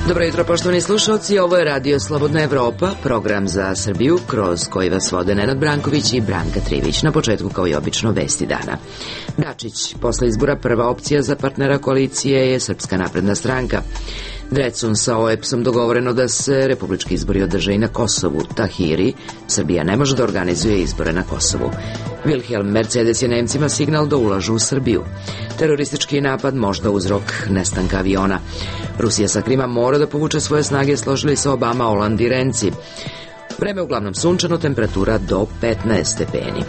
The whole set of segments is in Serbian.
Dobro jutro, poštovani slušalci, ovo je Radio Slobodna Evropa, program za Srbiju kroz koji vas vode Nenad Branković i Branka Trivić. Na početku, kao i obično, vesti dana. Dačić, posle izbora prva opcija za partnera koalicije je Srpska napredna stranka. Drecun sa OEPS-om dogovoreno da se republički izbori održe i na Kosovu. Tahiri, Srbija ne može da organizuje izbore na Kosovu. Wilhelm Mercedes je Nemcima signal da ulažu u Srbiju. Teroristički napad možda uzrok nestanka aviona. Rusija sa Krima mora da povuče svoje snage, složili se Obama, Holand i Renci. Vreme uglavnom sunčano, temperatura do 15 stepeni.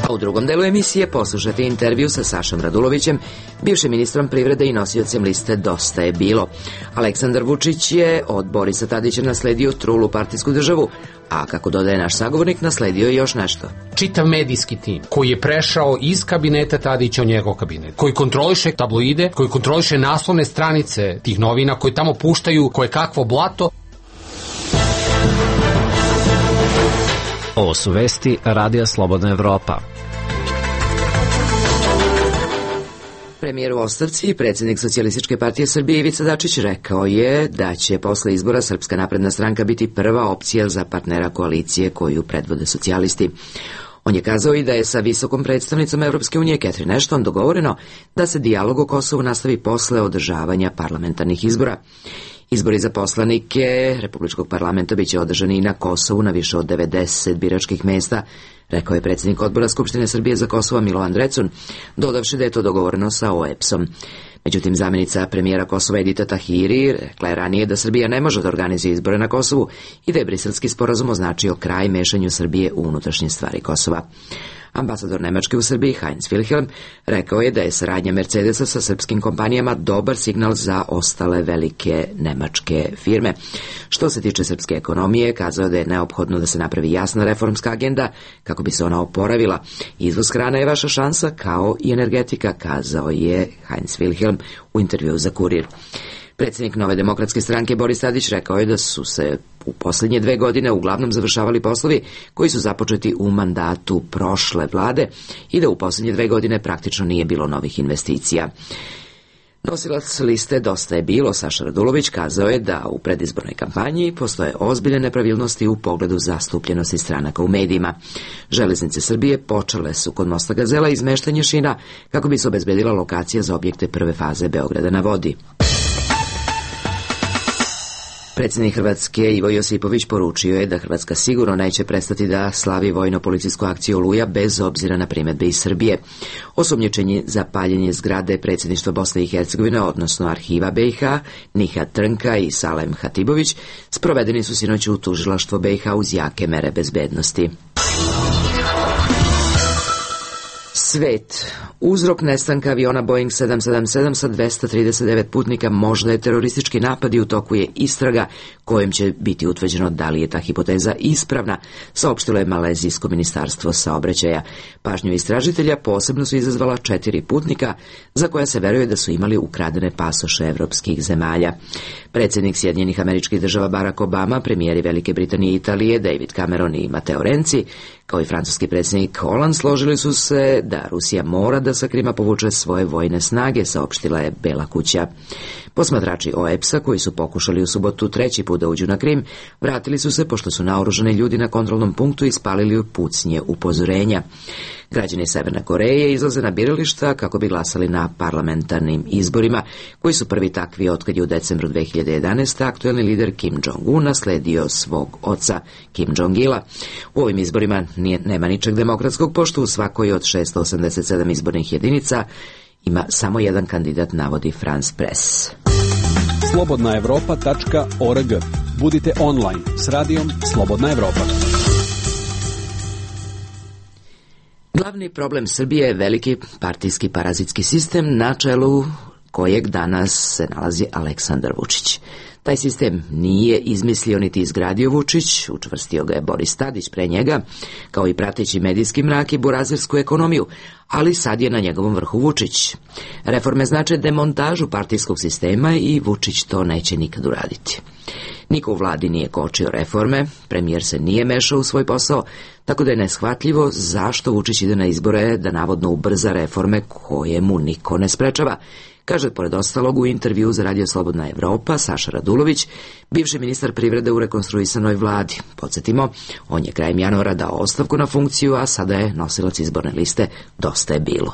A u drugom delu emisije poslušate intervju sa Sašom Radulovićem, bivšim ministrom privrede i nosiocem liste Dosta je bilo. Aleksandar Vučić je od Borisa Tadića nasledio trulu partijsku državu, a kako dodaje naš sagovornik, nasledio je još nešto. Čitav medijski tim koji je prešao iz kabineta Tadića u njegov kabinet, koji kontroliše tabloide, koji kontroliše naslovne stranice tih novina, koji tamo puštaju koje kakvo blato. Ovo su vesti Radija Slobodna Evropa. Premijer u ostavci i predsjednik Socijalističke partije Srbije Ivica Dačić rekao je da će posle izbora Srpska napredna stranka biti prva opcija za partnera koalicije koju predvode socijalisti. On je kazao i da je sa visokom predstavnicom Evropske unije Catherine Ashton dogovoreno da se dijalog o Kosovu nastavi posle održavanja parlamentarnih izbora. Izbori za poslanike Republičkog parlamenta biće održani i na Kosovu na više od 90 biračkih mesta, rekao je predsjednik odbora Skupštine Srbije za Kosovo Milovan Drecun, dodavši da je to dogovoreno sa OEPS-om. Međutim, zamjenica premijera Kosova Edita Tahiri rekla je ranije da Srbija ne može da organizuje izbore na Kosovu i da je Briselski sporazum označio kraj mešanju Srbije u unutrašnje stvari Kosova. Ambasador Nemačke u Srbiji Heinz Wilhelm rekao je da je saradnja Mercedesa sa srpskim kompanijama dobar signal za ostale velike nemačke firme. Što se tiče srpske ekonomije, kazao je da je neophodno da se napravi jasna reformska agenda kako bi se ona oporavila. Izvoz hrane je vaša šansa, kao i energetika, kazao je Heinz Wilhelm u intervjuu za Kurir. Predsjednik Nove demokratske stranke Boris Tadić rekao je da su se u posljednje 2 godine uglavnom završavali poslovi koji su započeti u mandatu prošle vlade i da u posljednje 2 godine praktično nije bilo novih investicija. Nosilac liste Dosta je bilo, Saša Radulović, kazao je da u predizbornoj kampanji postoje ozbiljne nepravilnosti u pogledu zastupljenosti stranaka u medijima. Železnice Srbije počele su kod mosta Gazela izmeštanje šina kako bi se obezbedila lokacija za objekte prve faze Beograda na vodi. Predsjednik Hrvatske Ivo Josipović poručio je da Hrvatska sigurno neće prestati da slavi vojno-policijsku akciju Oluja bez obzira na primjedbe iz Srbije. Osumnjičeni za paljenje zgrade predsjedništva Bosne i Hercegovine, odnosno arhiva BiH, Nihat Trnka i Salem Hatibović, sprovedeni su sinoć u tužilaštvo BiH uz jake mere bezbednosti. Svet. Uzrok nestanka aviona Boeing 777 sa 239 putnika možda je teroristički napad i u toku je istraga kojom će biti utvrđeno da li je ta hipoteza ispravna, saopštilo je Malezijsko ministarstvo saobraćaja. Pažnju istražitelja posebno su izazvala 4 putnika za koja se veruje da su imali ukradene pasoše evropskih zemalja. Predsjednik Sjedinjenih Američkih Država Barack Obama, premijeri Velike Britanije i Italije David Cameron i Matteo Renzi, kao i francuski predsjednik Holand, složili su se da Rusija mora da sa Krima povuče svoje vojne snage, saopštila je Bela kuća. Posmatrači OEPS-a, koji su pokušali u subotu 3. put da uđu na Krim, vratili su se pošto su naoružani ljudi na kontrolnom punktu ispalili pucnje upozorenja. Građani Severne Koreje izlaze na birališta kako bi glasali na parlamentarnim izborima, koji su prvi takvi otkad je u decembru 2011. aktuelni lider Kim Jong-un nasledio svog oca Kim Jong-ila. U ovim izborima nema ničeg demokratskog, pošto u svakoj od 687 izbornih jedinica ima samo jedan kandidat, navodi France Press. slobodnaevropa.org. Budite online s radijom Slobodna Evropa. Glavni problem Srbije je veliki partijski parazitski sistem na čelu kojeg danas se nalazi Aleksandar Vučić. Taj sistem nije izmislio niti izgradio Vučić, učvrstio ga je Boris Tadić pre njega, kao i prateći medijski mrak i burazersku ekonomiju, ali sad je na njegovom vrhu Vučić. Reforme znače demontažu partijskog sistema i Vučić to neće nikad uraditi. Niko u vladi nije kočio reforme, premijer se nije mešao u svoj posao, tako da je neshvatljivo zašto Vučić ide na izbore da navodno ubrza reforme koje mu niko ne sprečava, kaže pored ostalog u intervju za Radio Slobodna Evropa Saša Radulović, bivši ministar privrede u rekonstruisanoj vladi. Podsjetimo, on je krajem januara dao ostavku na funkciju, a sada je nosilac izborne liste Dosta je bilo.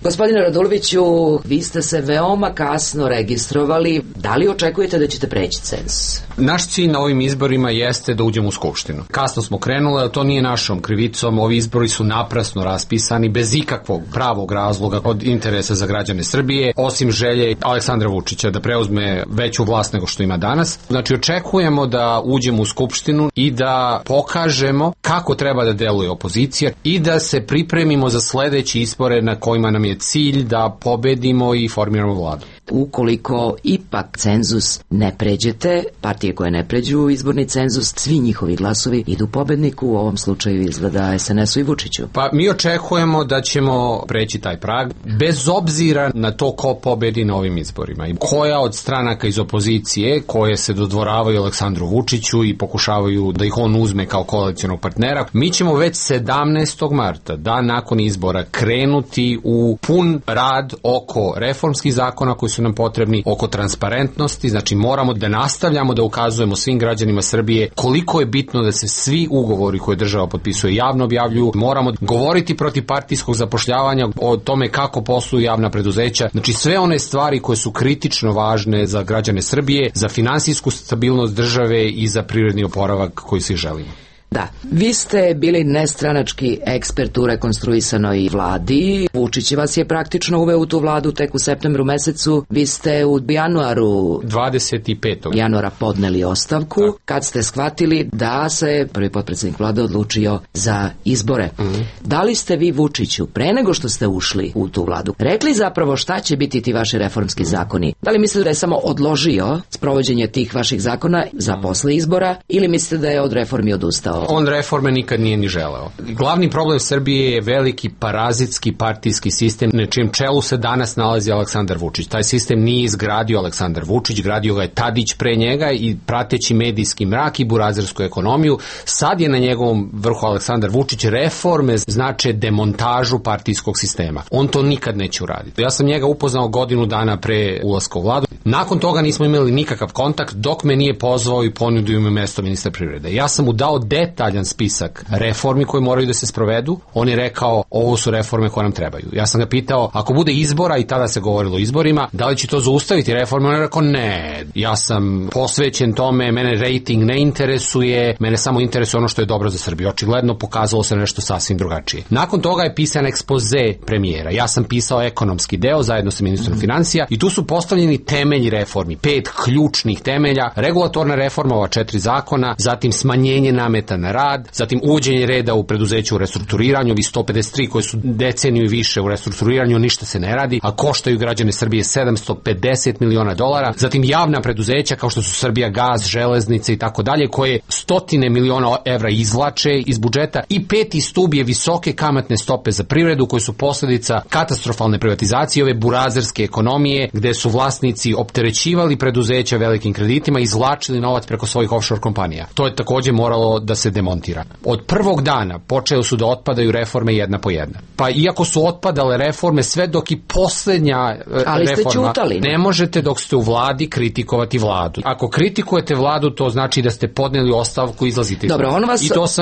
Gospodine Raduloviću, vi ste se veoma kasno registrovali. Da li očekujete da ćete preći cenzus? Naš cilj na ovim izborima jeste da uđemo u Skupštinu. Kasno smo krenuli, ali to nije našom krivicom. Ovi izbori su naprasno raspisani, bez ikakvog pravog razloga od interesa za građane Srbije, osim želje Aleksandra Vučića da preuzme veću vlast nego što ima danas. Znači, očekujemo da uđemo u Skupštinu i da pokažemo kako treba da deluje opozicija i da se pripremimo za sledeći izbore na kojima nam je cilj da pobedimo i formiramo vladu. Ukoliko ipak cenzus ne pređete, partije koje ne pređu u izborni cenzus, svi njihovi glasovi idu pobedniku, u ovom slučaju izgleda SNS-u i Vučiću. Pa mi očekujemo da ćemo preći taj prag, bez obzira na to ko pobedi na ovim izborima. I koja od stranaka iz opozicije koje se dodvoravaju Aleksandru Vučiću i pokušavaju da ih on uzme kao koalicionog partnera, mi ćemo već 17. marta, dan nakon izbora, krenuti u pun rad oko reformskih zakona koji su nam potrebni, oko transparentnosti, znači moramo da nastavljamo da ukazujemo svim građanima Srbije koliko je bitno da se svi ugovori koje država potpisuje javno objavljuju, moramo govoriti protiv partijskog zapošljavanja, o tome kako posluju javna preduzeća, znači sve one stvari koje su kritično važne za građane Srbije, za finansijsku stabilnost države i za privredni oporavak koji svi želimo. Da, vi ste bili nestranački ekspert u rekonstruisanoj vladi. Vučić vas je praktično uveo u tu vladu tek u septembru mesecu. Vi ste u januaru 25. januara podneli ostavku kad ste shvatili da se prvi potpredsjednik vlade odlučio za izbore. Da li ste vi Vučiću pre nego što ste ušli u tu vladu rekli zapravo šta će biti ti vaši reformski zakoni? Da li mislite da je samo odložio sprovođenje tih vaših zakona za posle izbora ili mislite da je od reformi odustao? On reforme nikad nije ni želeo. Glavni problem Srbije je veliki parazitski partijski sistem na čijem čelu se danas nalazi Aleksandar Vučić. Taj sistem nije izgradio Aleksandar Vučić, gradio ga je Tadić pre njega i prateći medijski mrak i burazersku ekonomiju. Sad je na njegovom vrhu Aleksandar Vučić. Reforme znače demontažu partijskog sistema. On to nikad neće uraditi. Ja sam njega upoznao godinu dana pre ulaska u vladu. Nakon toga nismo imali nikakav kontakt dok me nije pozvao i ponudio mi mesto ministra privrede. Ja sam mu dao detaljan spisak reformi koje moraju da se sprovedu. On je rekao, ovo su reforme koje nam trebaju. Ja sam ga pitao, ako bude izbora, i tada se govorilo o izborima, da li će to zaustaviti reforme? On je rekao, ne, ja sam posvećen tome, mene rating ne interesuje, mene samo interesuje ono što je dobro za Srbiju. Očigledno pokazalo se nešto sasvim drugačije. Nakon toga je pisan ekspoze premijera. Ja sam pisao ekonomski deo zajedno sa ministrom financija i tu su postavljeni temelji reformi, 5 ključnih temelja, regulatorna reforma, ova 4 zakona, zatim smanjenje nameta na rad, zatim uvođenje reda u preduzeću u restrukturiranju, vi 153 koje su deceniju i više u restrukturiranju, ništa se ne radi, a koštaju građane Srbije $750 miliona, zatim javna preduzeća kao što su Srbija gas, železnice i tako dalje, koje stotine miliona evra izvlače iz budžeta, i 5. stub je visoke kamatne stope za privredu koje su posledica katastrofalne privatizacije, ove burazerske ekonomije gde su vlasnici opterećivali preduzeća velikim kreditima i izvlačili novac preko svojih offshore kompanija. To je takođe moralo da se demontira. Od prvog dana počeo su da otpadaju reforme jedna po jedna. Pa iako su otpadale reforme sve dok i poslednja reforma, ne možete dok ste u vladi kritikovati vladu. Ako kritikujete vladu, to znači da ste podneli ostavku i izlazite iz vlade. Dobro,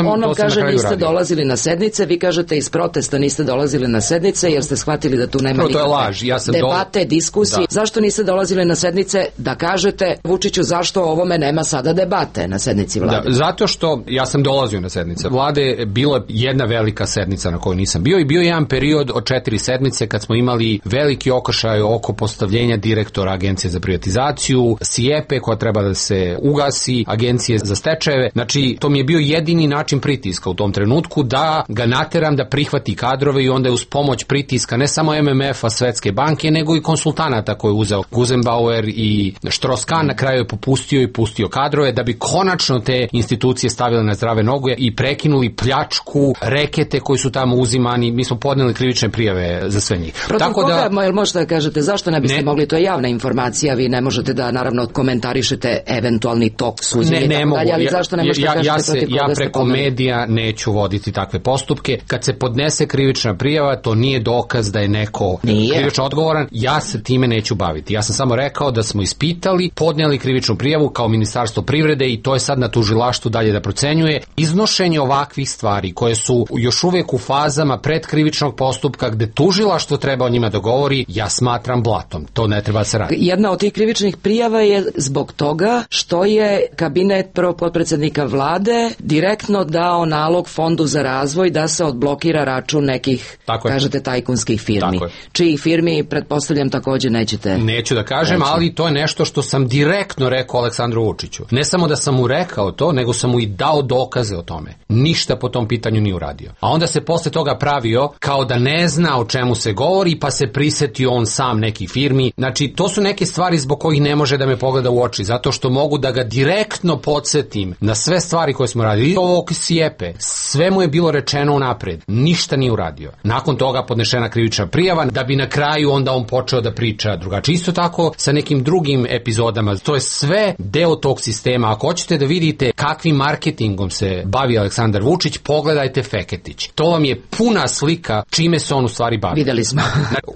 on vam kaže niste dolazili na sednice, vi kažete iz protesta niste dolazili na sednice jer ste shvatili da tu nema nikakve debate, diskusije. Zašto niste dolazili na sednice da kažete Vučiću zašto o ovome nema sada debate na sednici vlade? Zato što ja sam dolazio na sednice vlade, bilo je jedna velika sednica na kojoj nisam bio i bio je jedan period od 4 sedmice kad smo imali veliki okršaj oko postavljenja direktora Agencije za privatizaciju, SIEPE koja treba da se ugasi, Agencije za stečajeve. Znači, to mi je bio jedini način pritiska u tom trenutku da ga nateram da prihvati kadrove i onda je uz pomoć pritiska ne samo MMF-a, Svetske banke, nego i konsultanata koje je uzeo Guzenbauer i Strauss-Kahn, na kraju je popustio i pustio kadrove da bi konačno te institucije stavile na zdrav zdrave noge i prekinuli pljačku, rekete koji su tamo uzimani. Mi smo podneli krivične prijave za sve njih. Protiv koga, možete da kažete, zašto ne biste mogli, to je javna informacija, vi ne možete da naravno komentarišete eventualni tok suđenja, ne mogu, ali zašto ne možete kažete protiv koga ja preko medija neću voditi takve postupke. Kad se podnese krivična prijava, to nije dokaz da je neko krivično odgovoran, ja se time neću baviti. Ja sam samo rekao da smo ispitali, podneli krivičnu prijavu kao Ministarstvo privrede i to je sad na tužilaštvu dalje da procenjuje. Iznošenje ovakvih stvari koje su još uvek u fazama predkrivičnog postupka gde tužilaštvo treba o njima da govori, ja smatram blatom. To ne treba se raditi. Jedna od tih krivičnih prijava je zbog toga što je kabinet prvog potpredsednika vlade direktno dao nalog Fondu za razvoj da se odblokira račun nekih, kažete, tajkunskih firmi. Čijih firmi, pretpostavljam, takođe nećete... Neću da kažem, ali to je nešto što sam direktno rekao Aleksandru Vučiću. Ne samo da sam mu rekao to, nego sam mu i dao dokaze o tome. Ništa po tom pitanju nije uradio. A onda se posle toga pravio kao da ne zna o čemu se govori, pa se prisetio on sam nekih firmi. Znači, to su neke stvari zbog kojih ne može da me pogleda u oči, zato što mogu da ga direktno podsjetim na sve stvari koje smo radili. Ovog Sjepe, sve mu je bilo rečeno unapred. Ništa nije uradio. Nakon toga podnešena krivična prijava, da bi na kraju onda on počeo da priča drugačije. Isto tako sa nekim drugim epizodama. To je sve deo tog sistema. Ako hoćete da vidite kakvim marketingom se bavi Aleksandar Vučić, pogledajte Feketić. To vam je puna slika čime se on u stvari bavi. Videli smo.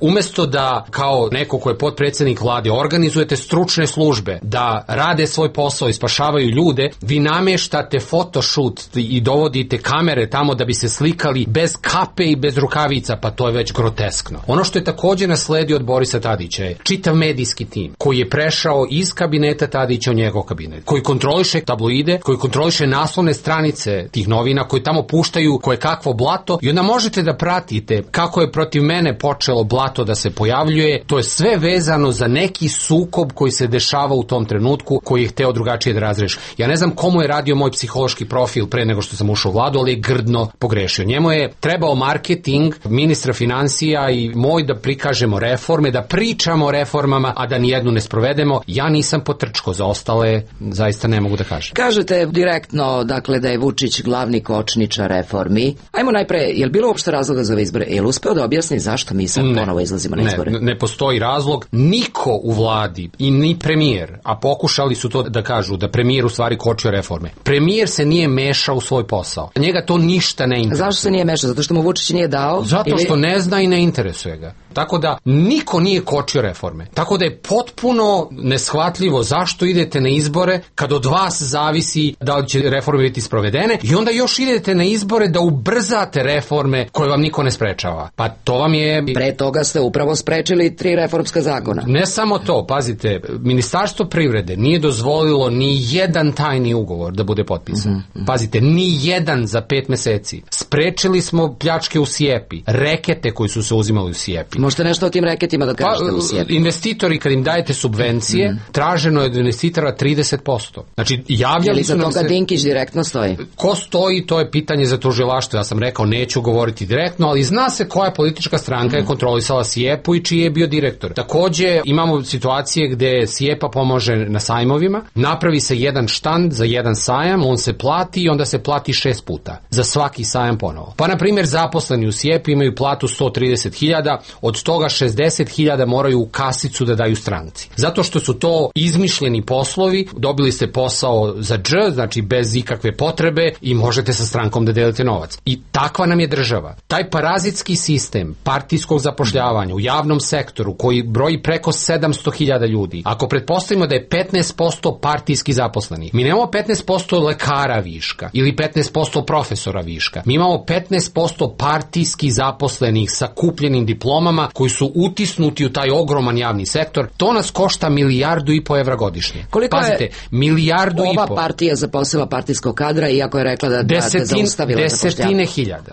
Umesto da kao neko ko je potpredsednik vlade organizujete stručne službe, da rade svoj posao i spašavaju ljude, vi nameštate photoshoot i dovodite kamere tamo da bi se slikali bez kape i bez rukavica, pa to je već groteskno. Ono što je također nasledio od Borisa Tadića je čitav medijski tim koji je prešao iz kabineta Tadića u njegov kabinet, koji kontroliše tabloide, koji kontroliše naslovne stranice tih novina, koji tamo puštaju koje kakvo blato i onda možete da pratite kako je protiv mene počelo blato da se pojavljuje. To je sve vezano za neki sukob koji se dešava u tom trenutku, koji je hteo drugačije da razreši. Ja ne znam komu je radio moj psihološki profil pre nego što sam ušao u vladu, ali je grdno pogrešio. Njemu je trebao marketing ministra finansija i moj da prikažemo reforme, da pričamo o reformama, a da nijednu ne sprovedemo. Ja nisam potrčko, za ostale zaista ne mogu da kažem. Kažete direktno, dakle, da je Vučić glavni kočničar reformi. Ajmo najpre, je li bilo uopšte razloga za ove izbore? Je li uspeo da objasni zašto mi sad ponovo izlazimo na izbore? Ne postoji razlog. Niko u vladi i ni premijer, a pokušali su to da kažu, da premijer u stvari kočio reforme. Premijer se nije mešao u svoj posao. Njega to ništa ne interesuje. Zašto se nije mešao? Zato što mu Vučić nije dao? Zato što ne zna i ne interesuje ga. Tako da niko nije kočio reforme. Tako da je potpuno neshvatljivo zašto idete na izbore kad od vas zavisi da li će reforme biti sprovedene i onda još idete na izbore da ubrzate reforme koje vam niko ne sprečava. Pa to vam je... Pre toga ste upravo sprečili 3 reformska zakona. Ne samo to, pazite, Ministarstvo privrede nije dozvolilo ni jedan tajni ugovor da bude potpisan. Pazite, ni jedan za 5 meseci. Sprečili smo pljačke u Sjepi, rekete koji su se uzimali u Sjepi. Možete nešto o tim reketima da kažete u Sjepi? Investitori, kad im dajete subvencije, traženo je od investitora 30%. Znači, javljali su nam se... Je li za toga Dinkić direktno stoji? Ko stoji, to je pitanje za tužilaštvo. Ja sam rekao, neću govoriti direktno, ali zna se koja politička stranka je kontrolisala Sjepu i čiji je bio direktor. Takođe, imamo situacije gde Sjepa pomože na sajmovima, napravi se jedan štand za jedan sajam, on se plati i onda se plati 6 puta. Za svaki sajam ponovo. Pa, na primjer, zaposleni u Sjepi imaju platu 130.000, od toga 60.000 moraju u kasicu da daju stranci. Zato što su to izmišljeni poslovi, dobili ste posao za dž, znači bez ikakve potrebe i možete sa strankom da delite novac. I takva nam je država. Taj parazitski sistem partijskog zapošljavanja u javnom sektoru koji broji preko 700.000 ljudi, ako pretpostavimo da je 15% partijski zaposlenih, mi nemamo 15% lekara viška ili 15% profesora viška. Mi imamo 15% partijski zaposlenih sa kupljenim diplomama koji su utisnuti u taj ogroman javni sektor. To nas košta 1,5 milijardu evra godišnje. Koliko pazite, 1,5 milijardu ova partija zaposlila partijskog kadra, iako je rekla da zaustavila zapošljavanje?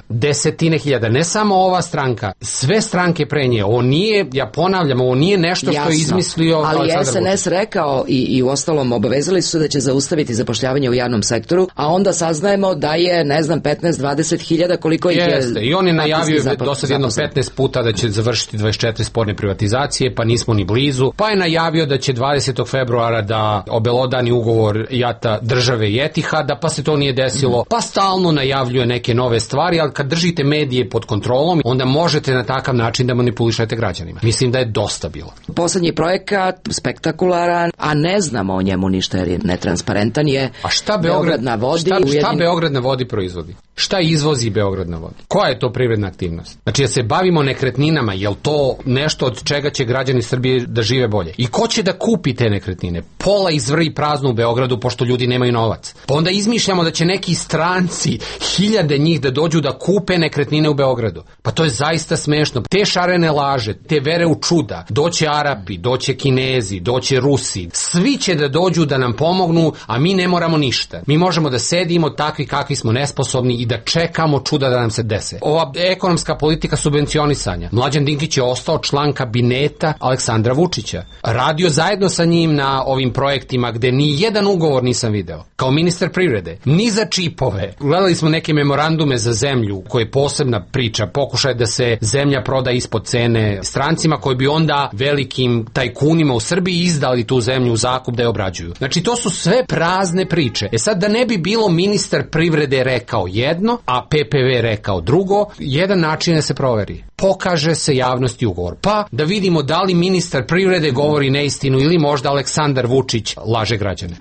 Desetine hiljada. Ne samo ova stranka, sve stranke pre nje. Ovo nije, ja ponavljam, ovo nije nešto što je izmislio ali Aleksandar Vučić. SNS rekao i u ostalom obavezali su da će zaustaviti zapošljavanje u javnom sektoru, a onda saznajemo da je, ne znam, 15-20 10.000 koliko ih je. Jeste, i on je najavio do sad jedno 15 puta da će završiti 24 sporne privatizacije, pa nismo ni blizu. Pa je najavio da će 20. februara da obelodani ugovor JAT-a države i Etihada, pa se to nije desilo. Pa stalno najavljuje neke nove stvari, ali kad držite medije pod kontrolom, onda možete na takav način da manipulišete građanima. Mislim da je dosta bilo. Poslednji projekat, spektakularan, a ne znamo o njemu ništa jer je netransparentan je. A šta Beograd na vodi? Šta Beograd na vodi proizvodi? Šta izvozi Beograd na vodi? Koja je to privredna aktivnost? Znači da se bavimo nekretninama, je li to nešto od čega će građani Srbije da žive bolje? I ko će da kupi te nekretnine? Pola izvrvi prazno u Beogradu pošto ljudi nemaju novac. Pa onda izmišljamo da će neki stranci, 1000 njih da dođu da kupe nekretnine u Beogradu. Pa to je zaista smešno. Te šarene laže, te vere u čuda, doće Arapi, doće Kinezi, doće Rusi, svi će da dođu da nam pomognu, a mi ne moramo ništa. Mi možemo da sedimo takvi kakvi smo nesposobni i da čekamo čuda da nam se dese. Ova ekonomska politika subvencionisanja. Mlađan Dinkić je ostao član kabineta Aleksandra Vučića. Radio zajedno sa njim na ovim projektima gde ni jedan ugovor nisam video. Kao ministar privrede. Ni za čipove. Gledali smo neke memorandume za zemlju koje je posebna priča. Pokušaj da se zemlja proda ispod cene strancima koji bi onda velikim tajkunima u Srbiji izdali tu zemlju u zakup da je obrađuju. Znači to su sve prazne priče. Sad da ne bi bilo ministar privrede rekao jedno, a PPV rekao drugo, jedan način da se proveri. Pokaže se javnosti ugovor. Pa da vidimo da li ministar privrede govori neistinu ili možda Aleksandar Vučić laže građane.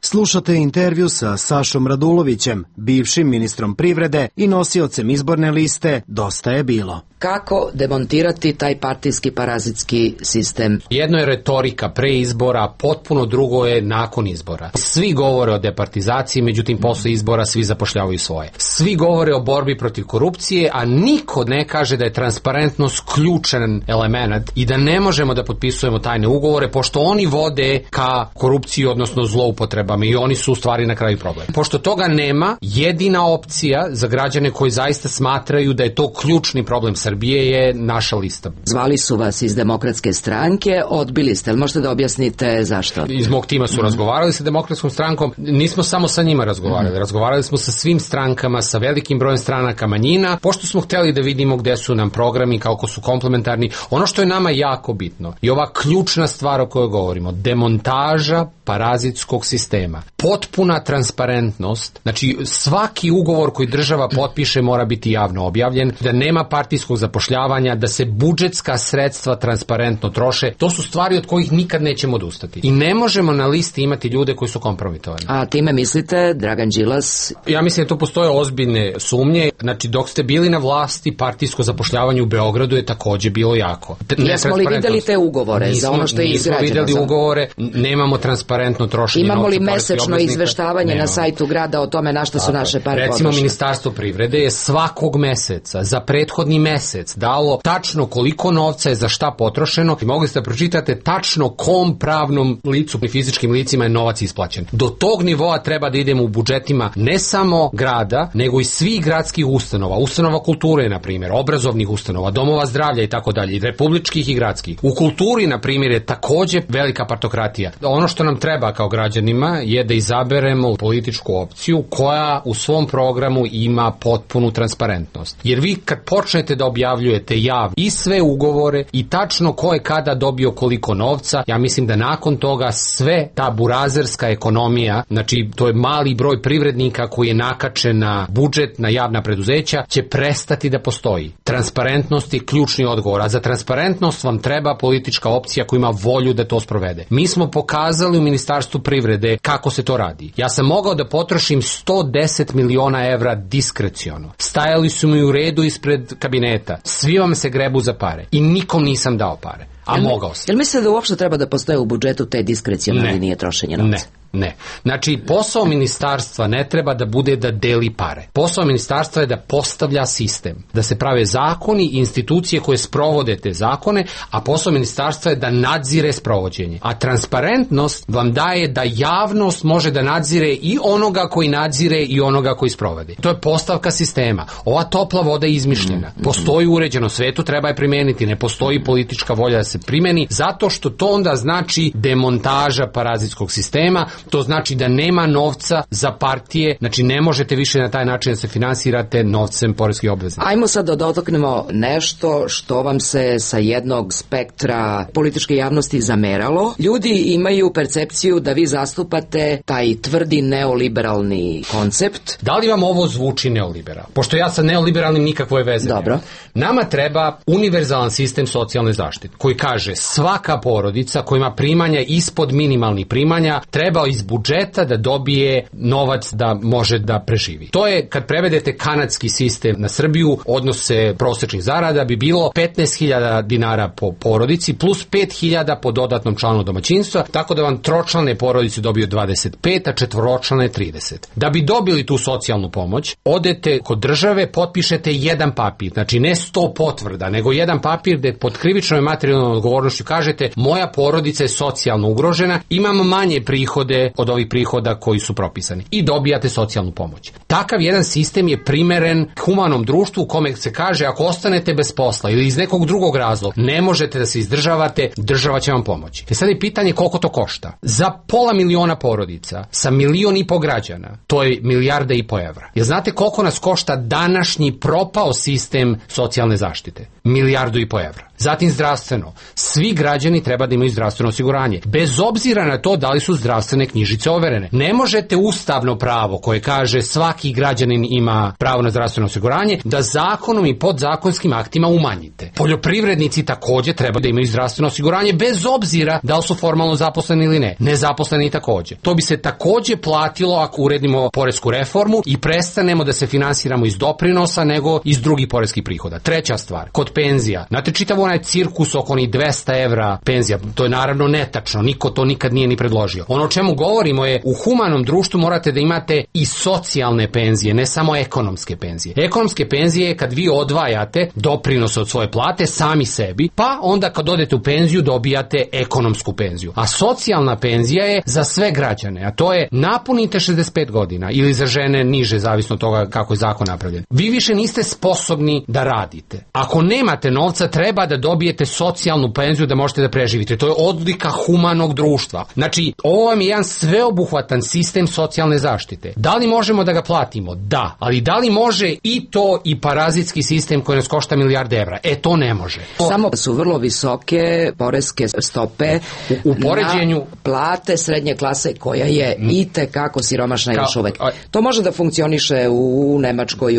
Slušate intervju sa Sašom Radulovićem, bivšim ministrom privrede i nosiocem izborne liste Dosta je bilo. Kako demontirati taj partijski parazitski sistem? Jedno je retorika pre izbora, potpuno drugo je nakon izbora. Svi govore o departizaciji, međutim posle izbora svi zapošljavaju svoje. Svi govore o borbi protiv korupcije, a niko ne kaže da je transparentnost ključan element i da ne možemo da potpisujemo tajne ugovore, pošto oni vode ka korupciji, odnosno zloupotrebama i oni su u stvari na kraju problem. Pošto toga nema, jedina opcija za građane koji zaista smatraju da je to ključni problem Srbije je naša lista. Zvali su vas iz Demokratske stranke, odbili ste, ali možete da objasnite zašto? Iz mog tima su razgovarali sa Demokratskom strankom, nismo samo sa njima razgovarali, razgovarali smo sa svim strankama, sa velikim brojem stranaka manjina, pošto smo hteli da vidimo gde su nam programi, kako su komplementarni. Ono što je nama jako bitno i ova ključna stvar o kojoj govorimo, demontaža parazitskog sistema, potpuna transparentnost, znači svaki ugovor koji država potpiše mora biti javno objavljen, da nema partijskog zapošljavanja, da se budžetska sredstva transparentno troše, to su stvari od kojih nikad nećemo odustati. I ne možemo na listi imati ljude koji su kompromitovani. A time mislite Dragan Đilas? Ja mislim da tu postoje ozbiljne sumnje, znači dok ste bili na vlasti, partijsko zapošljavanje u Beogradu je takođe bilo jako. Jesmo li videli te ugovore za ono što je izgrađeno? Nismo videli ugovore, nemamo transparentno trošenje novca. Imamo li mesečno izveštavanje na sajtu grada o tome na što su naše pare potrošene? Recimo Ministarstvo privrede je svakog meseca za prethodni mesec dalo tačno koliko novca je za šta potrošeno i mogli ste da pročitate tačno kom pravnom licu i fizičkim licima je novac isplaćen. Do tog nivoa treba da idemo u budžetima ne samo grada, nego i svih gradskih ustanova kulture, na primjer, obrazovnih ustanova, domova zdravlja i tako dalje, republičkih i gradskih. U kulturi, na primjer, je takođe velika partokratija. Ono što nam treba kao građanima je da izaberemo političku opciju koja u svom programu ima potpunu transparentnost. Jer vi kad počnete da objavljujete javno i sve ugovore i tačno ko je kada dobio koliko novca, ja mislim da nakon toga sve ta burazerska ekonomija, znači to je mali broj privrednika koji je nakačen na budžet, na javna preduzeća, će prestati da postoji. Transparentnost je ključni odgovor, a za transparentnost vam treba politička opcija koja ima volju da to sprovede. Mi smo pokazali u Ministarstvu privrede kako se to radi. Ja sam mogao da potrošim 110 miliona evra diskreciono. Stajali su mi u redu ispred kabineta. Svi vam se grebu za pare. I nikom nisam dao pare. A mogao sam. Jel mislite da uopšte treba da postoje u budžetu te diskrecionalne linije trošenja novca? Ne. Znači, posao ministarstva ne treba da bude da deli pare. Posao ministarstva je da postavlja sistem, da se prave zakoni i institucije koje sprovode te zakone, a posao ministarstva je da nadzire sprovođenje. A transparentnost vam daje da javnost može da nadzire i onoga koji nadzire i onoga koji sprovode. To je postavka sistema. Ova topla voda je izmišljena. Postoji u uređenom svetu, treba je primeniti. Ne postoji politička volja da se primeni, zato što to onda znači demontaža parazitskog sistema, To znači da nema novca za partije, znači ne možete više na taj način da se finansirate novcem poreskih obveznika. Ajmo sad da dotaknemo nešto što vam se sa jednog spektra političke javnosti zameralo. Ljudi imaju percepciju da vi zastupate taj tvrdi neoliberalni koncept. Da li vam ovo zvuči neoliberal? Pošto ja sa neoliberalnim nikakve veze nemam. Dobro. Nama treba univerzalan sistem socijalne zaštite koji kaže svaka porodica koja ima primanja ispod minimalnih primanja treba iz budžeta da dobije novac da može da preživi. To je, kad prevedete kanadski sistem na Srbiju, odnose prosečnih zarada bi bilo 15.000 dinara po porodici plus 5.000 po dodatnom članu domaćinstva, tako da vam tročlane porodice dobiju 25, a četvoročlane 30. Da bi dobili tu socijalnu pomoć, odete kod države, potpišete jedan papir, znači ne 100 potvrda, nego jedan papir gde pod krivičnom i materijalnom odgovornošću kažete moja porodica je socijalno ugrožena, imam manje prihode od ovih prihoda koji su propisani i dobijate socijalnu pomoć. Takav jedan sistem je primeren humanom društvu u kome se kaže ako ostanete bez posla ili iz nekog drugog razloga ne možete da se izdržavate, država će vam pomoći. Sad je pitanje koliko to košta. Za 500.000 porodica sa 1,5 miliona građana, to je 1,5 milijarda evra. Jel znate koliko nas košta današnji propao sistem socijalne zaštite? 1,5 milijardu evra. Zatim zdravstveno. Svi građani treba da imaju zdravstveno osiguranje. Bez obzira na to da li su zdravstvene knjižice overene. Ne možete ustavno pravo koje kaže svaki građanin ima pravo na zdravstveno osiguranje da zakonom i podzakonskim aktima umanjite. Poljoprivrednici takođe treba da imaju zdravstveno osiguranje bez obzira da li su formalno zaposleni ili ne. Nezaposleni takođe. To bi se takođe platilo ako uredimo poresku reformu i prestanemo da se finansiramo iz doprinosa nego iz drugih poreskih prihoda. Treća stvar, kod penzija. Znate, čitav onaj cirkus oko onih 200 evra penzija, to je naravno netačno, niko to nikad nije ni predložio. Ono o čemu govorimo je, u humanom društvu morate da imate i socijalne penzije, ne samo ekonomske penzije. Ekonomske penzije je kad vi odvajate doprinose od svoje plate sami sebi, pa onda kad odete u penziju dobijate ekonomsku penziju. A socijalna penzija je za sve građane, a to je napunite 65 godina ili za žene niže, zavisno od toga kako je zakon napravljen. Vi više niste sposobni da radite. Ako nemate novca, treba da dobijete socijalnu penziju da možete da preživite. To je odlika humanog društva. Znači, ovo vam je jedan sveobuhvatan sistem socijalne zaštite. Da li možemo da ga platimo? Da. Ali da li može i to i parazitski sistem koji nas košta 1 milijarda evra? To ne može. Samo su vrlo visoke poreske stope u poređenju na plate srednje klase koja je itekako siromašna još uvek. To može da funkcioniše u Nemačkoj,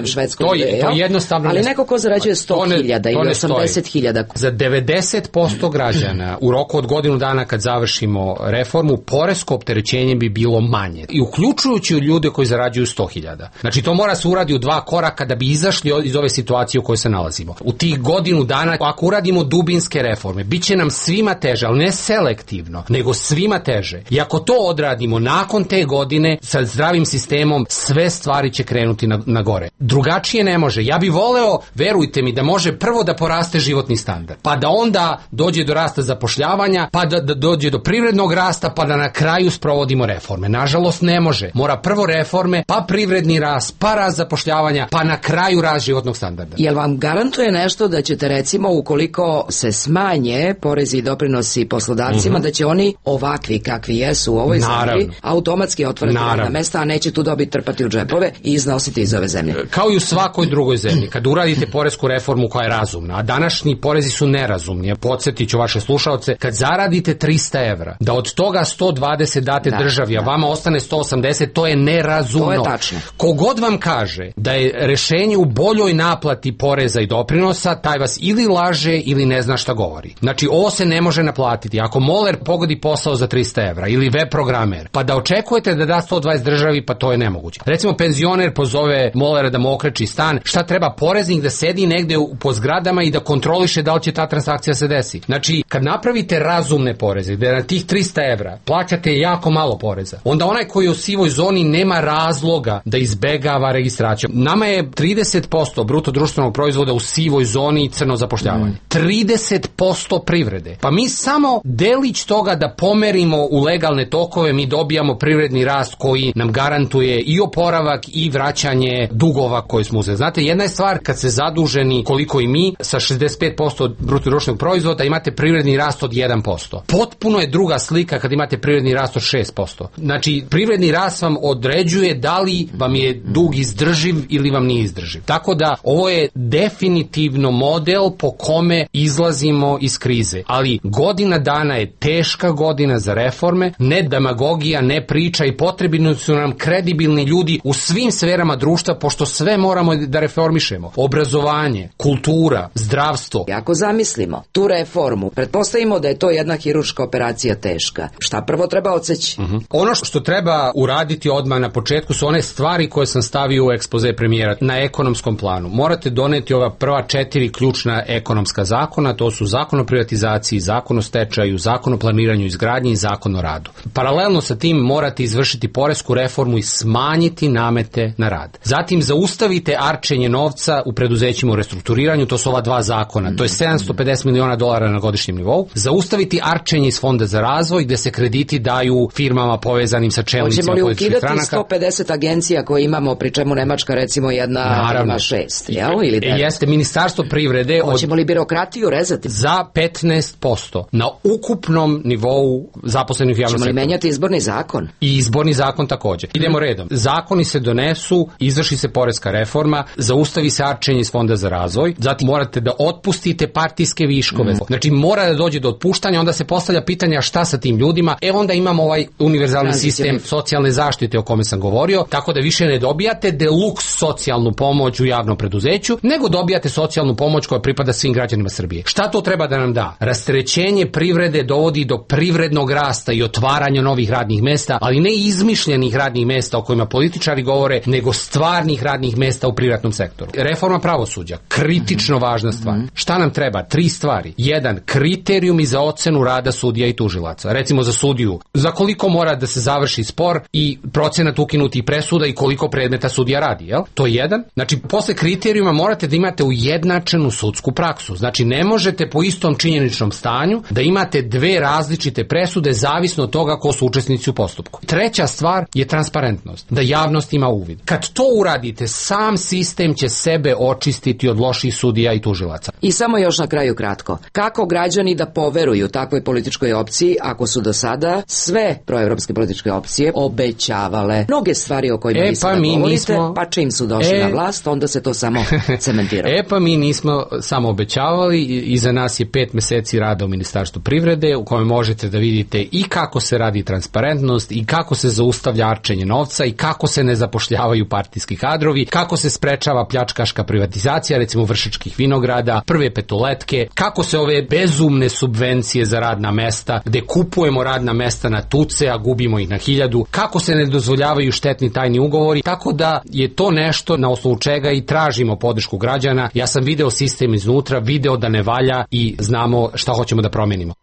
u Švedskoj. To jednostavno ali neko ko zarađuje 100.000 ili 80.000. Za 90% građana u roku od godinu dana kad završimo reformu, poresko opterećenje bi bilo manje. I uključujući ljude koji zarađuju 100.000. Znači to mora se uradi u 2 koraka da bi izašli iz ove situacije u kojoj se nalazimo. U tih godinu dana, ako uradimo dubinske reforme, bit će nam svima teže, ali ne selektivno, nego svima teže. I ako to odradimo nakon te godine sa zdravim sistemom, sve stvari će krenuti na gore. Drugačije ne može. Ja bih voleo, verujte mi, da može prvo da poraste životni standard, pa da onda dođe do rasta zapošljavanja, pa da dođe do privrednog rasta, pa da na kraju sprovodimo reforme. Nažalost ne može. Mora prvo reforme, pa privredni rast, pa rast zapošljavanja, pa na kraju rast životnog standarda. Jel vam garantuje nešto da ćete, recimo, ukoliko se smanje porezi i doprinosi poslodavcima, da će oni ovakvi kakvi jesu u ovoj zemlji automatski otvoriti radna mesta, a neće tu dobiti, trpati u džepove i iznositi iz ove zemlje? Kao i u svakoj drugoj zemlji. Kad uradite poresku reformu koja je razumna, a današnji porezi su nerazumni, podsjetit ću vaše slušaoce, kad zaradite 300 evra, da od toga 120 date državi, a vama ostane 180, to je nerazumno. To je tačno. Kogod vam kaže da je rešenje u boljoj naplati poreza i doprinosa, taj vas ili laže ili ne zna šta govori. Znači, ovo se ne može naplatiti. Ako moler pogodi posao za 300 evra ili web programer, pa da očekujete da da 120 državi, pa to je nemoguće. Recimo, penzioner pozove molera da mu okreči stan, šta treba poreznik da sedi negde po zgradama i da kontroliše da li će ta transakcija se desi. Znači, kad napravite razumne poreze, da na tih 300 evra plaćate jako malo poreza, onda onaj koji je u sivoj zoni nema razloga da izbegava registraciju. Nama je 30% bruto društvenog proizvoda u sivoj zoni i crno zapošljavanje. 30% privrede. Pa mi samo delić toga da pomerimo u legalne tokove, mi dobijamo privredni rast koji nam garantuje i oporavak i vraćanje dugova koje smo uzeli. Znate, jedna je stvar kad se zaduženi, koliko i mi, sa 65% od bruto društvenog proizvoda, imate privredni rast od 1%. Potpuno je druga slika kad imate privredni rast od 6%. Znači, privredni rast vam određuje da li vam je dug izdrživ ili vam nije izdrživ. Tako da, ovo je definitivno model po kome izlazimo iz krize. Ali godina dana je teška godina za reforme, ne demagogija, ne priča i potrebni su nam kredibilni ljudi u svim sferama društva, pošto sve moramo da reformišemo. Obrazovanje, kultura, zdravstvo. Ako zamislimo tu reformu, pretpostavimo da je to jedna hirurška operacija teška. Šta prvo treba odseći? Ono što treba uraditi odmah na početku su one stvari koje sam stavio u ekspoze premijera na ekonomskom planu. Morate doneti ova prva 4 ključna ekonomska zakona, to su zakon o privatizaciji, zakon o stečaju, zakon o planiranju izgradnji i zakon o radu. Paralelno sa tim morate izvršiti poresku reformu i smanjiti namete na rad. Zatim zaustavite arčenje novca u preduzećima u restrukturiranju, to su ova 2 zakona, to je $750 miliona na godišnjem nivou. Zaustaviti arčenje iz Fonda za razvoj gde se krediti daju firmama povezanim sa čelnicima političkih stranaka. Hoćemo li ukidati 150 agencija koje imamo, pri čemu Nemačka recimo jedna ima 6, jel? Ili 9? Jeste, Ministarstvo privrede... Hoćemo li birokratiju rezati? Za 15% na ukupnom nivou zaposlenih u javnom sektoru. Hoćemo li menjati izborni zakon? I izborni zakon takođe. Idemo redom. Zakoni se donesu, izvrši se poreska reforma, zaustavi se arčenje iz Fonda za razvoj, zatim morate da otpustite partijske viškove. Znači mora da dođe do otpuštanja, onda se postavlja pitanja šta sa tim ljudima. Onda imamo ovaj univerzalni sistem socijalne zaštite o kome sam govorio, tako da više ne dobijate deluks socijalnu pomoć u javnom preduzeću, nego dobijate socijalnu pomoć koja pripada svim građanima Srbije. Šta to treba da nam da? Rasterećenje privrede dovodi do privrednog rasta i otvaranja novih radnih mesta, ali ne izmišljenih radnih mesta o kojima političari govore, nego stvarnih radnih mesta u privatnom sektoru. Reforma pravosuđa, kritično važna stvar. Šta nam treba? 3 stvari. 1. Kriterijumi za ocenu rada sudija i tužilaca. Recimo za sudiju, za koliko mora da se završi spor i procenat ukinutih presuda i koliko predmeta sudija radi, jel? To je 1. Znači, posle kriterijuma morate da imate ujednačenu sudsku praksu. Znači, ne možete po istom činjeničnom stanju da imate 2 različite presude zavisno od toga ko su učesnici u postupku. 3. stvar je transparentnost, da javnost ima uvid. Kad to uradite, sam sistem će sebe očistiti od loših sudija i tužilaca. I samo još na kraju kratko. Kako građani da poveruju takvoj političkoj opciji ako su do sada sve proevropske političke opcije obećavale mnoge stvari o kojima vi sada govorite, pa čim su došli na vlast, onda se to samo cementiralo. Pa mi nismo samo obećavali, iza nas je 5 meseci rada u Ministarstvu privrede u kojem možete da vidite i kako se radi transparentnost i kako se zaustavlja arčenje novca i kako se ne zapošljavaju partijski kadrovi, kako se sprečava pljačkaška privatizacija, recimo Vršačkih vinograda, prve petoletke, kako se ove bezumne subvencije za radna mesta, gde kupujemo radna mesta na tuce, a gubimo ih na 1000, kako se ne dozvoljavaju štetni tajni ugovori, tako da je to nešto na osnovu čega i tražimo podršku građana. Ja sam video sistem iznutra, video da ne valja i znamo šta hoćemo da promenimo.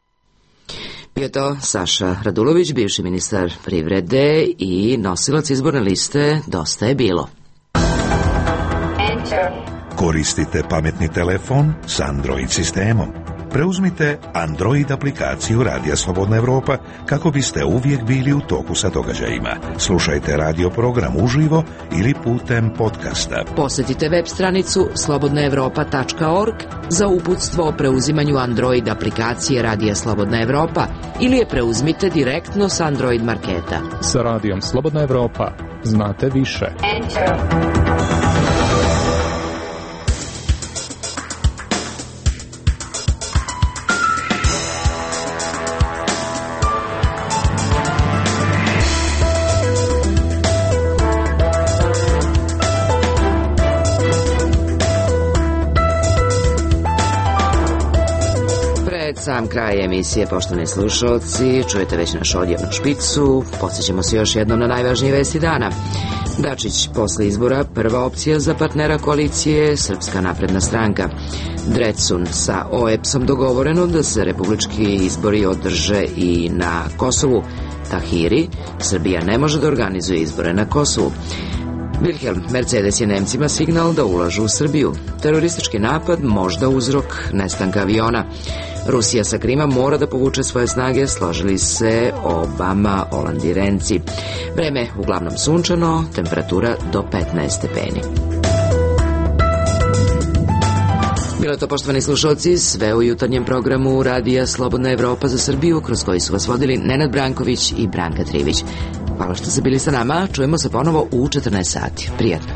Bio to Saša Radulović, bivši ministar privrede i nosilac izborne liste Dosta je bilo. Koristite pametni telefon s Android sistemom. Preuzmite Android aplikaciju Radija Slobodna Evropa kako biste uvijek bili u toku sa događajima. Slušajte radio program uživo ili putem podcasta. Posjetite web stranicu slobodnaevropa.org za uputstvo o preuzimanju Android aplikacije Radija Slobodna Evropa ili je preuzmite direktno s Android marketa. Sa Radijom Slobodna Evropa znate više. Sam kraj emisije, poštovani slušalci, čujete već našu odjevnu špicu. Podsjećamo se još jednom na najvažnije vesti dana. Dačić posle izbora prva opcija za partnera koalicije Srpska napredna stranka. Drecun sa OEPS-om dogovoreno da se republički izbori održe i na Kosovu. Tahiri, Srbija ne može da organizuje izbore na Kosovu. Wilhelm Mercedes je Nemcima signal da ulažu u Srbiju. Teroristički napad možda uzrok nestanka aviona. Rusija sa Krima mora da povuče svoje snage, složili se Obama, Olandirenci. Vreme uglavnom sunčano, temperatura do 15 stepeni. Bilo je to, poštovani slušalci, sve u jutarnjem programu Radija Slobodna Evropa za Srbiju, kroz koji su vas vodili Nenad Branković i Branka Trivić. Hvala što ste bili sa nama, čujemo se ponovo u 14 sati. Prijatno.